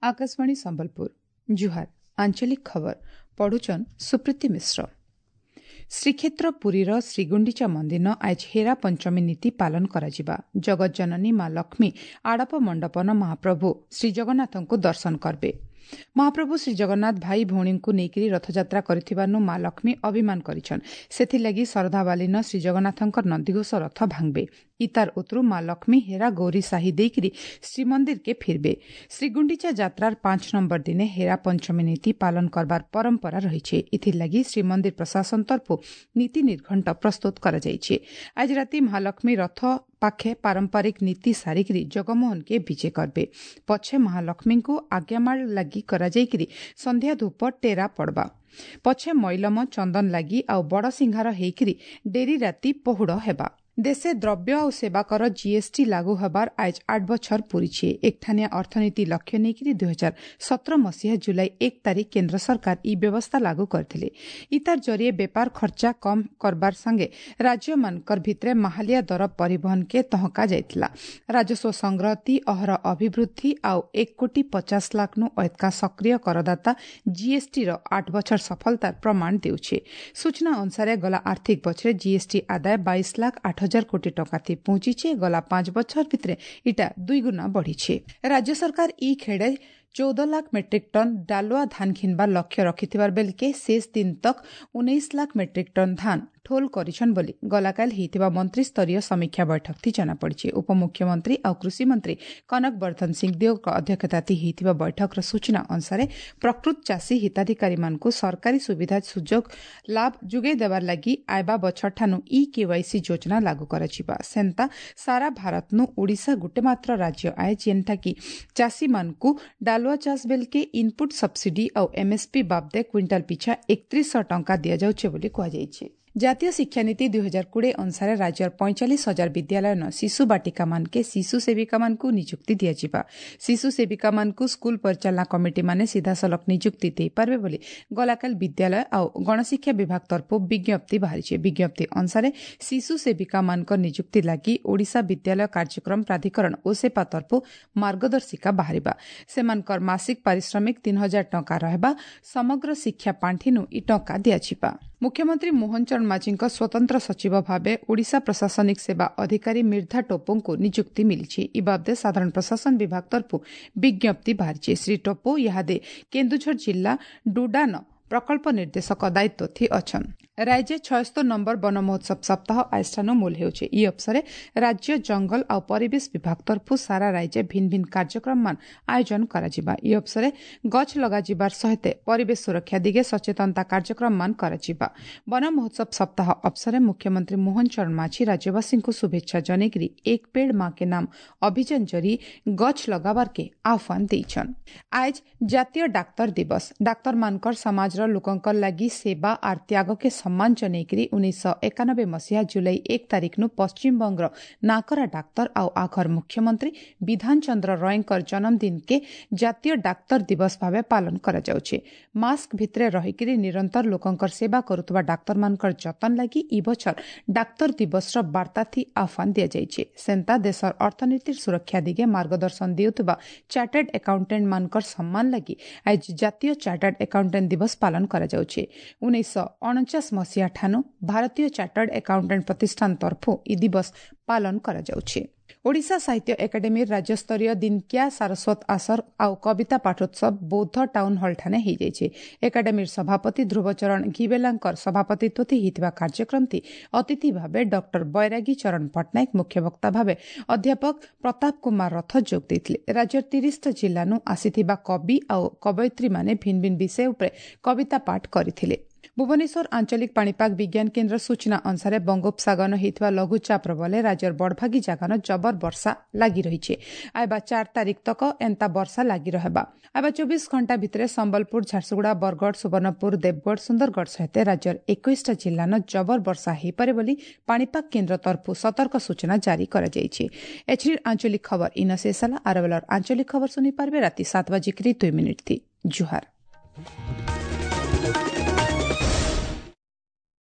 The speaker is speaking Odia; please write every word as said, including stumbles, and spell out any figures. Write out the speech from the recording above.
ଆକାଶବାଣୀ ସମ୍ବଲପୁର ଜୁହାର ଆଞ୍ଚଳିକ ଖବର ପଢୁଛନ୍ ସୁପ୍ରୀତି ମିଶ୍ର ଶ୍ରୀକ୍ଷେତ୍ର ପୁରୀର ଶ୍ରୀଗୁଣ୍ଡିଚା ମନ୍ଦିର ଆଜ ହେରା ପଞ୍ଚମୀ ନୀତି ପାଳନ କରାଯିବା ଜଗତଜନନୀ ମା ଲକ୍ଷ୍ମୀ ଆଡ଼ପ ମଣ୍ଡପନ ମହାପ୍ରଭୁ ଶ୍ରୀଜଗନ୍ନାଥଙ୍କୁ ଦର୍ଶନ କରିବେ ମହାପ୍ରଭୁ ଶ୍ରୀଜଗନ୍ନାଥ ଭାଇ ଭଉଣୀଙ୍କୁ ନେଇକରି ରଥଯାତ୍ରା କରିଥିବାରୁ ମା ଲକ୍ଷ୍ମୀ ଅଭିମାନ କରିଛନ୍ ସେଥିଲାଗି ଶରଧାବାଲିନ ଶ୍ରୀଜଗନ୍ନାଥଙ୍କର ନନ୍ଦିଘୋଷ ରଥ ଭାଙ୍ଗବେ ଇତାର ଉତରୁ ମା ଲକ୍ଷ୍ମୀ ହେରା ଗୌରୀ ସାହି ଦେଇକରି ଶ୍ରୀମନ୍ଦିରକେ ଫିରବେ ଶ୍ରୀଗୁଣ୍ଡିଚା ଯାତ୍ରାର ପାଞ୍ଚ ନମ୍ବର ଦିନେ ହେରା ପଞ୍ଚମୀ ନୀତି ପାଳନ କରବାର ପରମ୍ପରା ରହିଛି ଏଥିଲାଗି ଶ୍ରୀମନ୍ଦିର ପ୍ରଶାସନ ତରଫରୁ ନୀତି ନିର୍ଘଣ୍ଟ ପ୍ରସ୍ତୁତ କରାଯାଇଛି ଆଜି ରାତି ମହାଲକ୍ଷ୍ମୀ ରଥ ପାଖେ ପାରମ୍ପରିକ ନୀତି ସାରିକିରି ଜଗମୋହନକେ ବିଜେ କରବେ ପଛେ ମହାଲକ୍ଷ୍ମୀଙ୍କୁ ଆଜ୍ଞାମାଳ ଲାଗି କରାଯାଇକିରି ସନ୍ଧ୍ୟା ଧୂପ ଟେରା ପଡ଼ବା ପଛେ ମଇଲମ ଚନ୍ଦନ ଲାଗି ଆଉ ବଡ଼ ସିଂହାର ହେଇକିରି ଡେରି ରାତି ପହୁଡ଼ ହେବା ଦେଶେ ଦ୍ରବ୍ୟ ଆଉ ସେବାକର ଜିଏସ୍ଟି ଲାଗୁ ହେବାର ଆଜ ଆଠ ବଛର ପୂରିଛି ଏକଠାନିଆ ଅର୍ଥନୀତି ଲକ୍ଷ୍ୟ ନେଇକରି ଦୁଇ ହଜାର ସତର ମସିହା ଜୁଲାଇ ଏକ ତାରିଖ କେନ୍ଦ୍ର ସରକାର ଇ ବ୍ୟବସ୍ଥା ଲାଗୁ କରିଥିଲେ ଇତାର ଜରିଏ ବେପାର ଖର୍ଚ୍ଚା କମ୍ କରବାର ସାଙ୍ଗେ ରାଜ୍ୟମାନଙ୍କର ଭିତରେ ମାହାଲିଆ ଦର ପରିବହନକେ ତହକା ଯାଇଥିଲା ରାଜସ୍ୱ ସଂଗ୍ରହତି ଅହର ଅଭିବୃଦ୍ଧି ଆଉ ଏକ କୋଟି ପଚାଶ ଲାଖନୁ ଅଧିକା ସକ୍ରିୟ କରଦାତା ଜିଏସ୍ଟିର ଆଠ ବଛର ସଫଳତାର ପ୍ରମାଣ ଦେଉଛି ସୂଚନା ଅନୁସାରେ ଗଲା ଆର୍ଥିକ ବଛରେ ଜିଏସ୍ଟି ଆଦାୟ ବାଇଶ ଲାଖ ଆଠ ହଜାର କୋଟି ଟଙ୍କା ଥି ପହଞ୍ଚିছে ଗଲା ପାଞ୍ଚ ବଛର ଭିତରେ ଇଟା ଦୁଇଗୁଣା ବଢ଼ିଛି ରାଜ୍ୟ ସରକାର ଇ ଖେଡ଼େ ଚଉଦ ଲାଖ ମେଟ୍ରିକ୍ ଟନ୍ ଡାଲୁଆ ଧାନ ଘିନବାର ଲକ୍ଷ୍ୟ ରଖିଥିବାର ବେଲକେ ଶେଷ ଦିନ ତକ୍ ଉଣେଇଶ ଲାଖ ମେଟ୍ରିକ୍ ଟନ୍ ଧାନ ଠୋଲ କରିଛନ୍ ବୋଲି ଗଲାକାଲି ହେଇଥିବା ମନ୍ତ୍ରୀସ୍ତରୀୟ ସମୀକ୍ଷା ବୈଠକଥି ଜଣାପଡ଼ିଛି ଉପମୁଖ୍ୟମନ୍ତ୍ରୀ ଆଉ କୃଷିମନ୍ତ୍ରୀ କନକ ବର୍ଦ୍ଧନ ସିଂଦେଓଙ୍କ ଅଧ୍ୟକ୍ଷତାଥି ହେଇଥିବା ବୈଠକର ସୂଚନା ଅନୁସାରେ ପ୍ରକୃତ ଚାଷୀ ହିତାଧିକାରୀମାନଙ୍କୁ ସରକାରୀ ସୁବିଧା ସୁଯୋଗ ଲାଭ ଯୋଗାଇ ଦେବାର ଲାଗି ଆଇବା ବଛରଠାନୁ ଇ କେୱାଇସି ଯୋଜନା ଲାଗୁ କରାଯିବା ସେନ୍ତା ସାରା ଭାରତନୁ ଓଡ଼ିଶା ଗୋଟେ ମାତ୍ର ରାଜ୍ୟ ଆଏ ଯେନ୍ଟାକି ଚାଷୀମାନଙ୍କୁ ଡାଲୁଆ ଚାଷ ବେଲକେ ଇନପୁଟ ସବସିଡି ଆଉ ଏମ୍ଏସ୍ପି ବାବଦେ କ୍ୱିଣ୍ଟାଲ ପିଛା ଏକତ୍ରିଶହ ଟଙ୍କା ଦିଆଯାଉଛି ବୋଲି କୁହାଯାଇଛି ଜାତୀୟ ଶିକ୍ଷାନୀତି ଦୁଇ ହଜାର କୋଡ଼ିଏ ଅନୁସାରେ ରାଜ୍ୟର ପଇଁଚାଳିଶ ହଜାର ବିଦ୍ୟାଳୟନ ଶିଶୁ ବାଟିକାମାନକେ ଶିଶୁ ସେବିକାମାନଙ୍କୁ ନିଯୁକ୍ତି ଦିଆଯିବା ଶିଶୁ ସେବିକାମାନଙ୍କୁ ସ୍କୁଲ ପରିଚାଳନା କମିଟିମାନେ ସିଧାସଳଖ ନିଯୁକ୍ତି ଦେଇପାରିବେ ବୋଲି ଗଲାକାଲି ବିଦ୍ୟାଳୟ ଆଉ ଗଣଶିକ୍ଷା ବିଭାଗ ତରଫରୁ ବିଜ୍ଞପ୍ତି ବାହାରିଛି ବିଜ୍ଞପ୍ତି ଅନୁସାରେ ଶିଶୁ ସେବିକାମାନଙ୍କ ନିଯୁକ୍ତି ଲାଗି ଓଡ଼ିଶା ବିଦ୍ୟାଳୟ କାର୍ଯ୍ୟକ୍ରମ ପ୍ରାଧିକରଣ ଓସେପା ତରଫରୁ ମାର୍ଗଦର୍ଶିକା ବାହାରିବା ସେମାନଙ୍କର ମାସିକ ପାରିଶ୍ରମିକ ତିନି ହଜାର ଟଙ୍କା ରହିବା ସମଗ୍ର ଶିକ୍ଷା ପାଣ୍ଠିନୁ ଇ ଟଙ୍କା ଦିଆଯିବା ମୁଖ୍ୟମନ୍ତ୍ରୀ ମୋହନ ଚରଣ ମାଝୀଙ୍କ ସ୍ୱତନ୍ତ୍ର ସଚିବ ଭାବେ ଓଡ଼ିଶା ପ୍ରଶାସନିକ ସେବା ଅଧିକାରୀ ମିର୍ଦ୍ଧା ଟୋପୋଙ୍କୁ ନିଯୁକ୍ତି ମିଳିଛି ଇ ବାବଦେ ସାଧାରଣ ପ୍ରଶାସନ ବିଭାଗ ତରଫରୁ ବିଜ୍ଞପ୍ତି ବାହାରିଛି ଶ୍ରୀ ଟୋପୋ ଇହାଦେ କେନ୍ଦୁଝର ଜିଲ୍ଲା ଡୁଡାନ ପ୍ରକଳ୍ପ ନିର୍ଦ୍ଦେଶକ ଦାୟିତ୍ୱ ଥି ଅଛନ୍ ରାଜ୍ୟ ଛୟସ୍ତର ନମ୍ବର ବନ ମହୋତ୍ସବ ସପ୍ତାହ ଆଜିଠାନୁ ମୂଲ ହେଉଛି ଇ ଅବସରେ ରାଜ୍ୟ ଜଙ୍ଗଲ ଆଉ ପରିବେଶ ବିଭାଗ ତରଫରୁ ସାରା ରାଜ୍ୟ ଭିନ୍ନ ଭିନ୍ନ କାର୍ଯ୍ୟକ୍ରମମାନ ଆୟୋଜନ କରାଯିବା ଇ ଅବସରେ ଗଛ ଲଗାଯିବାର ସହିତ ପରିବେଶ ସୁରକ୍ଷା ଦିଗେ ସଚେତନତା କାର୍ଯ୍ୟକ୍ରମମାନ କରାଯିବା ବନ ମହୋତ୍ସବ ସପ୍ତାହ ଅବସରେ ମୁଖ୍ୟମନ୍ତ୍ରୀ ମୋହନ ଚରଣ ମାଝୀ ରାଜ୍ୟବାସୀଙ୍କୁ ଶୁଭେଚ୍ଛା ଜଣେଇକରି ଏକ ପେଡ଼ ମା କେ ନାମ ଅଭିଯାନ ଜରି ଗଛ ଲଗାବାରକେ ଆହ୍ୱାନ ଦେଇଛନ୍ ଆଜ ଜାତୀୟ ଡାକ୍ତର ଦିବସ ଡାକ୍ତରମାନଙ୍କର ସମାଜର ଲୋକଙ୍କର ଲାଗି ସେବା ଆର୍ ତ୍ୟାଗକେ ସମ୍ମାନ ଜଣେଇକରି ଉଣେଇଶହ ଏକାନବେ ମସିହା ଜୁଲାଇ ଏକ ତାରିଖନୁ ପଶ୍ଚିମବଙ୍ଗର ନାକରା ଡାକ୍ତର ଆଉ ଆଘର ମୁଖ୍ୟମନ୍ତ୍ରୀ ବିଧାନ ଚନ୍ଦ୍ର ରୟଙ୍କର ଜନ୍ମଦିନକେ ଜାତୀୟ ଡାକ୍ତର ଦିବସ ଭାବେ ପାଳନ କରାଯାଉଛି ମାସ୍କ ଭିତରେ ରହିକରି ନିରନ୍ତର ଲୋକଙ୍କର ସେବା କରୁଥିବା ଡାକ୍ତରମାନଙ୍କର ଯତ୍ନ ଲାଗି ଇ ବଛର ଡାକ୍ତର ଦିବସର ବାର୍ତ୍ତାଥି ଆହ୍ୱାନ ଦିଆଯାଇଛି ସେନ୍ତା ଦେଶର ଅର୍ଥନୀତିର ସୁରକ୍ଷା ଦିଗେ ମାର୍ଗଦର୍ଶନ ଦେଉଥିବା ଚାର୍ଟାର୍ଡ ଆକାଉଣ୍ଟାଣ୍ଟମାନଙ୍କର ସମ୍ମାନ ଲାଗି ଆଜି ଜାତୀୟ ଚାର୍ଟାର୍ଡ ଆକାଉଣ୍ଟାଣ୍ଟ ଦିବସ ପାଳନ କରାଯାଉଛି ଉଣେଇଶହ ଅଣଚାଶ ମସିହା ଠାନୁ ଭାରତୀୟ ଚାର୍ଟାର୍ଡ ଆକାଉଣ୍ଟାଣ୍ଟ ପ୍ରତିଷ୍ଠାନ ତରଫରୁ ଇ ଦିବସ ପାଳନ କରାଯାଉଛି ଓଡ଼ିଶା ସାହିତ୍ୟ ଏକାଡେମୀର ରାଜ୍ୟସ୍ତରୀୟ ଦିନକିଆ ସାରସ୍ୱତ ଆସର ଆଉ କବିତା ପାଠୋତ୍ସବ ବୌଦ୍ଧ ଟାଉନ୍ ହଲ୍ଠାନେ ହେଇଯାଇଛି ଏକାଡେମୀର ସଭାପତି ଧ୍ରୁବଚରଣ ଘିବେଲାଙ୍କର ସଭାପତିତ୍ୱ ହେଇଥିବା କାର୍ଯ୍ୟକ୍ରମଟି ଅତିଥି ଭାବେ ଡକ୍ଟର ବୈରାଗୀ ଚରଣ ପଟ୍ଟନାୟକ ମୁଖ୍ୟବକ୍ତା ଭାବେ ଅଧ୍ୟାପକ ପ୍ରତାପ କୁମାର ରଥ ଯୋଗ ଦେଇଥିଲେ ରାଜ୍ୟର ତିରିଶଟା ଜିଲ୍ଲାନୁ ଆସିଥିବା କବି ଆଉ କବୟିତ୍ରୀମାନେ ଭିନ୍ନ ଭିନ୍ନ ବିଷୟ ଉପରେ କବିତା ପାଠ କରିଥିଲେ ଭୁବନେଶ୍ୱର ଆଞ୍ଚଳିକ ପାଣିପାଗ ବିଜ୍ଞାନ କେନ୍ଦ୍ର ସୂଚନା ଅନୁସାରେ ବଙ୍ଗୋପସାଗର ହେଇଥିବା ଲଘୁଚାପର ବଲେ ରାଜ୍ୟର ବଡ଼ଭାଗୀ ଜାଗାନ ଜବର ବର୍ଷା ଲାଗି ରହିଛି ଆଇବା ଚାରି ତାରିଖ ତକ ଏନ୍ତା ବର୍ଷା ଲାଗି ରହିବା ଆଇବା ଚବିଶ ଘଣ୍ଟା ଭିତରେ ସମ୍ବଲପୁର ଝାରସୁଗୁଡ଼ା ବରଗଡ଼ ସୁବର୍ଣ୍ଣପୁର ଦେବଗଡ଼ ସୁନ୍ଦରଗଡ଼ ସହିତ ରାଜ୍ୟର ଏକୋଇଶଟା ଜିଲ୍ଲାନ ଜବର ବର୍ଷା ହୋଇପାରେ ବୋଲି ପାଣିପାଗ କେନ୍ଦ୍ର ତରଫରୁ ସତର୍କ ସୂଚନା ଜାରି କରାଯାଇଛି ଏଥିରେ ଆଞ୍ଚଳିକ ଖବର ଇନ ଶେଷ ହେଲା ଆରବେଲର ଆଞ୍ଚଳିକ ଖବର ଶୁଣିପାରିବେ ରାତି ସାତ ବାଜିକିରି ଦୁଇ ମିନିଟ୍ ଥି ଜୁହାର